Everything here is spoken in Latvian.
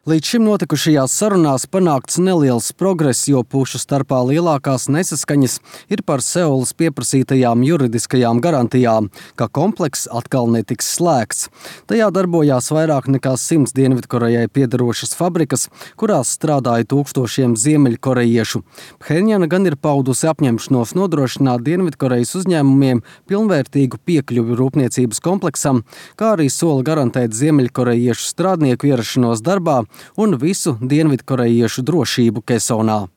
Līdz šim notikušajās sarunās panākts neliels progress, jo pušu starpā lielākās nesaskaņas ir par Seulas pieprasītajām juridiskajām garantijām, ka komplekss atkal netiks slēgts. Tajā darbojās vairāk nekā 100 Dienvidkorejai piederošas fabrikas, kurās strādāja tūkstošiem ziemeļkorejiešu. Phenjana gan ir paudusi apņemšanos nodrošināt Dienvidkorejas uzņēmumiem pilnvērtīgu piekļuvi rūpniecības kompleksam, kā arī sola garantēt ziemeļkorejiešu strādnieku ierašanos darbā un visu dienvidkorejiešu drošību Kesonā.